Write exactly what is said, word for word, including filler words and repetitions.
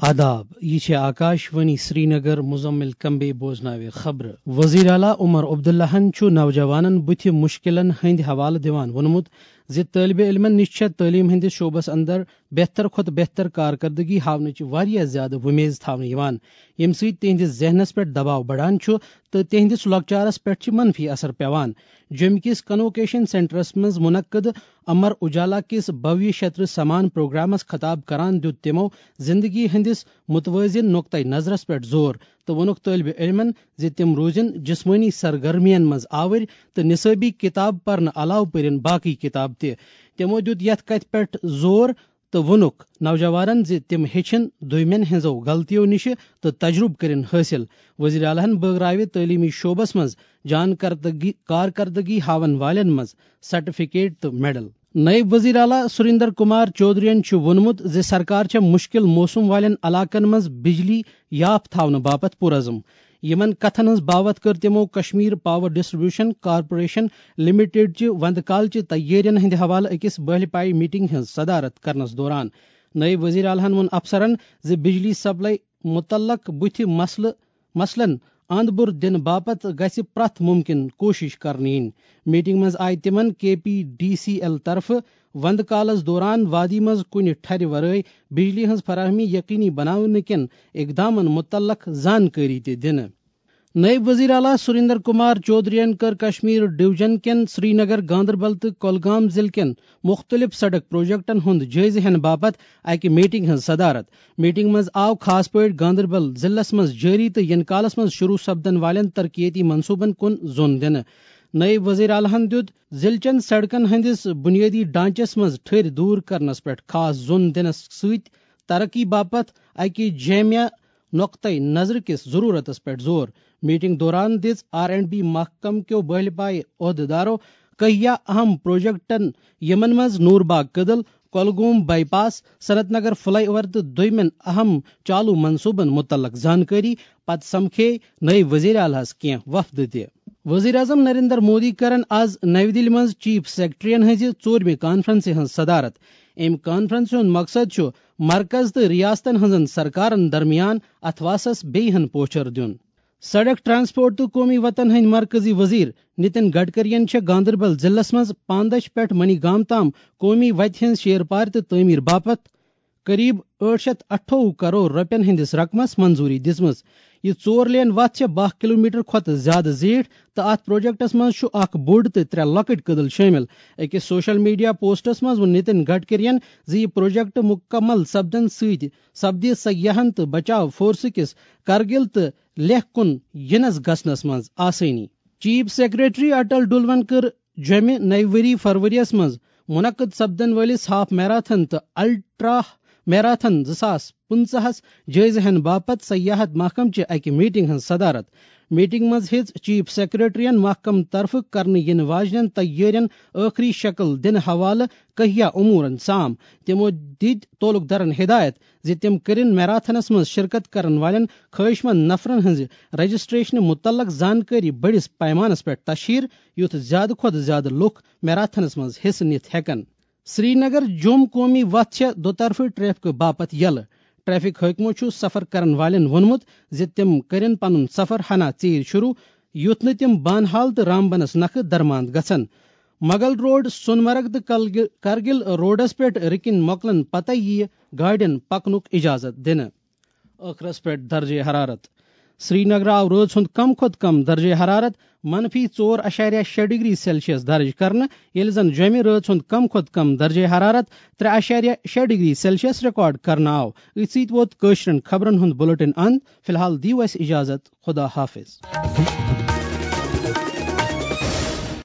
آداب، یہِ چھِ آکاش وانی سرینگر، مزمل کمبے بوزناوِ خبرٕ۔ وزیر اعلیٰ عمر عبداللہن چھُ نوجوانن بُتھِ مُشکِلن ہٕنٛدِ حوالہٕ دِوان ووٚنمُت زِ طٲلبِ علمن نِش چھےٚ تعلیٖم ہٕنٛدِس شعبس اندر بہتر کھۄتہٕ بہتر کارکردگی ہاونٕچ واریاہ زیادٕ وۄمیز تھاونہٕ یِوان، ییٚمہِ سۭتۍ تِہنٛدِس ذہنس پٮ۪ٹھ دباو بڑان چھُ تہٕ تِہنٛدِس لۄکچارس پٮ۪ٹھ چھِ منفی اثر پٮ۪وان۔ جوٚمہِ کِس کنووکیشن سینٹرس منٛز منعقد امر اجالا کِس بھویہ شتر سمان پروگرامس خطاب کران دیُت تِمو زندگی ہٕنٛدِس متوازن نقطہ نظرس پٮ۪ٹھ زور تہٕ ووٚنُکھ طٲلبِ علمن زِ تِم روزن جسمٲنی سرگرمین منٛز آوٕرۍ تہٕ نصٲبی کتاب پرنہٕ علاوٕ پٔرِن باقی کتاب تہِ۔ تِمو دیُت یتھ کتھِ پٮ۪ٹھ زور تہٕ ووٚنُکھ نوجوانن زِ تِم ہیٚچھن دوٚیمٮ۪ن ہٕنٛزو غلطیو نِشہِ تہٕ تجربہٕ کٔرِن حٲصِل۔ وزیر اعلیٰ ہن بٲگراوِ تعلیمی شعبس منٛز جان کردگی کارکردگی ہاون والٮ۪ن منٛز سرٹیفکیٹ تہٕ میڈل۔ نائب وزیر اعلیٰ سریندر کمار چودھرین چھُ ووٚنمُت زِ سرکار چھےٚ مُشکِل موسم والٮ۪ن علاقن منٛز بجلی یاپھ تھاونہٕ باپتھ پُرعزم۔ یِمن کتھن ہٕنٛز باوتھ کٔر تِمو Kashmir power distribution corporation limited چہِ وندٕ کالچہِ تیٲرین ہٕنٛدِ حوالہٕ أکِس بٲہلہِ پایہِ میٹنگ ہٕنٛز صدارت کرنس دوران۔ نائب وزیر اعلیٰ ہن ووٚن افسرن زِ بجلی سپلائی متعلق بُتھِ مسلہٕ مسلن اند بُر دِنہٕ باپتھ گژھِ پرٛٮ۪تھ مُمکِن کوٗشِش کرنہٕ یِنۍ۔ میٹنگ منٛز آیہِ تِمن کے پی ڈی سی ایل طرفہٕ وندٕ کالس دوران وادی منٛز کُنہِ ٹھرِ ورٲے بجلی ہٕنٛز فراہمی یقینی بناونہٕ کٮ۪ن اقدامن مُتعلق زانکٲری تہِ دِنہٕ۔ نائب وزیر اعلیٰ سریندر کمار چودھرین کٔر کشمیر ڈویژن کٮ۪ن سرینگر، گاندربل تہٕ کۄلگام ضلعہٕ کٮ۪ن مُختٔلِف سڑک پروجیکٹن ہُنٛد جٲیزٕ ہٮ۪نہٕ باپتھ اَکہِ میٹنگ ہٕنٛز صدارت۔ میٹنگ منٛز آو خاص پٲٹھۍ گاندربل ضلعس منٛز جٲری تہٕ یِنہٕ کالس منٛز شروع سپدن والٮ۪ن ترقیتی منصوبن کُن زون دِنہٕ۔ نائب وزیر اعلیٰ ہن دیُت ضلعہٕ چٮ۪ن سڑکن ہٕنٛدِس بنیٲدی ڈھانچس منٛز ٹھٔرۍ دوٗر کرنس پٮ۪ٹھ خاص زون دِنس سۭتۍ ترقی باپتھ اَکہِ جامع نقطہ نظر کِس ضروٗرتس پٮ۪ٹھ زور۔ میٹنگ دوران دِژ آر اینڈ بی محکمہٕ کیو بٲہلہِ پایہِ عہدٕدارو کہیا اہم پروجیکٹن، یِمن منٛز نور باغ کدل، کۄلگوم بائی پاس، صنعت نگر فلائی اوور تہٕ دوٚیمٮ۪ن اہم چالو منصوبن مُتعلق زانکٲری۔ پتہٕ سمکھے نٲیِب وزیر اعلیٰ ہس کینٛہہ وفد تہِ۔ وزیر اعظم نریندر مودی کرن آز نَوِ دِلہِ منٛز چیف سیکرٹریَن ہٕنٛزِ ژوٗرمہِ کانفرنسہِ ہٕنٛز صدارت۔ اَمہِ کانفرنسہِ ہُنٛد مقصد چھُ مرکز تہٕ ریاستن ہٕنٛزن سرکارن درمیان اتھواسس بیٚیہِ ہن پوچھر دیُن۔ سڑک، ٹرانسپورٹ تہٕ قومی وتن ہٕنٛدۍ مرکزی وزیر نتن گڈکرین چھےٚ گاندربل ضلعس منٛز پاندچھ پٮ۪ٹھ منی گام تام قومی وتہِ ہٕنٛز شیر پار تہٕ تعمیٖر باپتھ قریب ٲٹھ شیٚتھ اَٹھووُہ کرور رۄپین ہٕنٛدِس رقمس منظوٗری دِژمٕژ۔ یہِ ژور لین وتھ چھےٚ باہ کلومیٹر کھۄتہٕ زیادٕ زیٖٹھ تہٕ اتھ پروجیکٹس منٛز چھُ اکھ بوٚڑ تہٕ ترٛےٚ لۄکٕٹۍ کدل شٲمِل۔ أکِس سوشل میڈیا پوسٹس منٛز ووٚن نتن گڈکرین زِ یہِ پروجیکٹ مُکمل سپدنہٕ سۭتۍ سپدِ سیاحن تہٕ بچاو فورسہٕ کِس کرگل تہٕ لیہہ کُن یِنس گژھنس منٛز آسٲنی۔ چیف سیکرٹری اٹل ڈلون کٔر جوٚمہِ نَوِ ؤری فروریَس منٛز منعقد سپدن وٲلِس ہاف میراتھن تہٕ الٹرا میراتھن زٕ ساس پٕنٛژٕہَس جٲیزٕ ہٮ۪نہٕ باپتھ سیاحت محکمہٕ چہِ اَکہِ میٹنگ ہٕنٛز صدارت۔ میٹنگ منٛز ہیٚژ چیف سیکرٹریَن محکمہٕ طرفہٕ کرنہٕ یِنہٕ واجنٮ۪ن تیٲرین ٲخری شکل دِنہٕ حوالہٕ کہیا امورن سام۔ تِمو دِتۍ تعلق دارن ہدایت زِ تِم کٔرِن میراتھنس منٛز شرکت کرن والٮ۪ن خٲہِشمند نفرن ہٕنٛزِ رجسٹریشنہٕ مُتعلق زانکٲری بٔڑِس پیمانس پٮ۪ٹھ تشہیر، یُتھ زیادٕ کھۄتہٕ زیادٕ لُکھ میراتھنس منٛز حصہٕ نِتھ ہٮ۪کن۔ سرینگر جوٚم قومی وتھ چھےٚ دُطرفہٕ ٹریفکہٕ باپتھ یلہٕ۔ ٹریفک حٲکمو چھُ سفر کرن والٮ۪ن ووٚنمُت زِ تِم کٔرِن پنُن سفر ہنا ژیٖرۍ شروع، یُتھ نہٕ تِم بانہال تہٕ رامبنس نکھٕ درماند گژھن۔ مغل روڈ، سونمرگ تہٕ کلگ-، کرگل روڈس پٮ۪ٹھ رٕکِنۍ مۄکلن پتَے یِیہِ گاڑٮ۪ن پکنُک اجازت دِنہٕ۔ ٲخرس پٮ۪ٹھ درجہ حرارت۔ سرینگر آو رٲژ ہُنٛد کم کھۄتہٕ کم درجہ حرارت منفی ژور اعشاریہ شےٚ ڈگری سیلسیس درج کرنہٕ، ییٚلہِ زن جوٚمہِ رٲژ ہُنٛد کم کھۄتہٕ کم درجہ حرارت ترٛےٚ اعشاریہ شےٚ ڈگری سیلسیس ریکارڈ کرنہٕ آو۔ أتھۍ سۭتۍ ووت کٲشرٮ۪ن خبرن ہُنٛد بُلٹن اند۔ فی الحال دِیِو اَسہِ اجازت۔ خدا حافظ۔